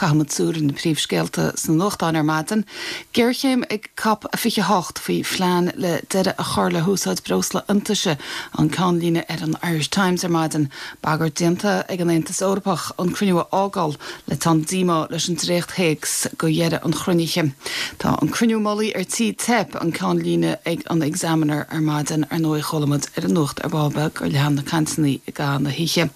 Caithfidh muid súil ar na príomhscéalta sna nuachtáin ar maidin. Géarchéim ag Cop 28 faoi phlean le deireadh a chur le húsáid breosla iontaise, an ceannlíne ar an Irish Times ar maidin. Bagairt déanta ag an Aontas Eorpach an cruinniú a fhágáil le teann díomá leis an dréacht-théacs go dheireadh an chruinnithe. Tá an cruinniú mullaigh ar tí teip, an ceannlíne ag an Examiner ar maidin. Ar ndóigh chuala muid ar an nuacht ar ball beag gur lean na cainteanna i gcaitheamh na hoíche.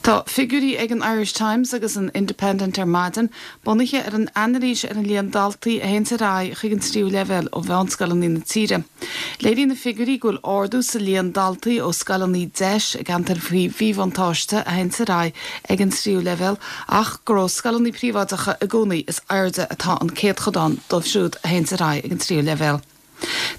Tá figiúirí ag an Irish Times agus an Independent ar maidin, bunaithe ar an anailís ar an líon daltaí a théanns ar aghaidh chuig an tríú leibhéal ó mheánscoileanna na tíre. Léiríonn na figiúirí go bhfuil ardú sa líon daltaí ó scoileanna deis i gceantair faoi mhíbhuntáiste a théanns ar aghaidh ag an tríú leibhéal ach gur ó scoileanna príobháideacha i gcónaí is airde atá an céadchodán dóibh siúd a théanns ar aghaidh ag an tríú leibhéal.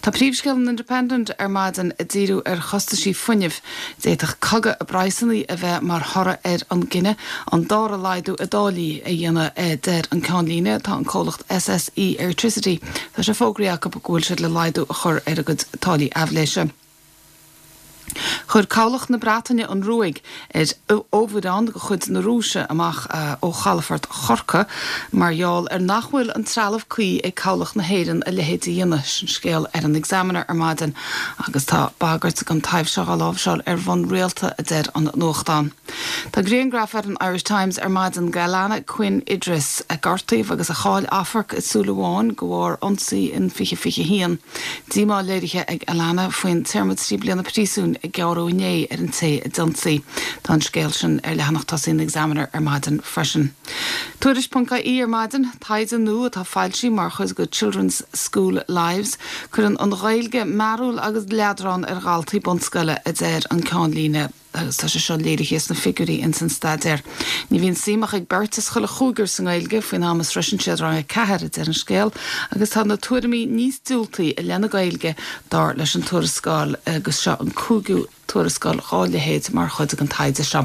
Tá príomhscéal an Independent ar maidin ag díriú ar chostaisí fuinnimh. D'fhéadfadh cogadh i bpraghsanna a bheith mar thoradh ar an gcinneadh an dara laghdú i dtáillí a dhéanamh, a deir an ceannlíne. Tá an comhlacht SSE Airtricity, tá sé fógraithe acu go bhfuil siad le laghdú a chur ar a gcuid táillí aibhléise. Chuir Cabhlach na Breataine an ruaig ar fhomhuireán de chuid na Rúise amach ó chalafort Chorcaí mar gheall ar nach bhfuil an trealamh cuí ag Cabhlach na hÉireann a leithéid a dhéanamh. Sin scéal ar an Examiner ar maidin agus tá bagairt den taibhse seo á láimhseáil ar bhonn rialta, a deir an nuachtán. Tá grianghraf ar an Irish Times ar maidin d'Alana Quinn Idris, a gortaíodh agus a chaill amharc i súil amháin de bharr ionsaí in 2021. Díomá léirithe ag Alana faoin téarma 3 bliana príosúin a gearradh inné ar an té a d'ionsaigh. Tá an scéal sin ar leathanach tosaigh an Examiner ar maidin freisin. Tuairisc.ie ar maidin, Taighde nua atá foilsithe mar chuid de Children's School Lives. Cuireann an Ghaeilge mearbhall agus leadrán ar dhaltaí bunscoile, a deir an ceannlíne. agus tá sé seo léirithe sna figiúirí ins an staidéar. Ní bhíonn suim ach ag beirt as chuile chúigear sa nGaeilge faoin am a sroiseann siad rang 4, a deir an scéal, agus tá na tuairimí níos diúltaí i leith na Gaeilge, dar leis an tuarascáil, agus seo an cúigiú tuarascáil dhá leithéid mar chuid den taighde seo.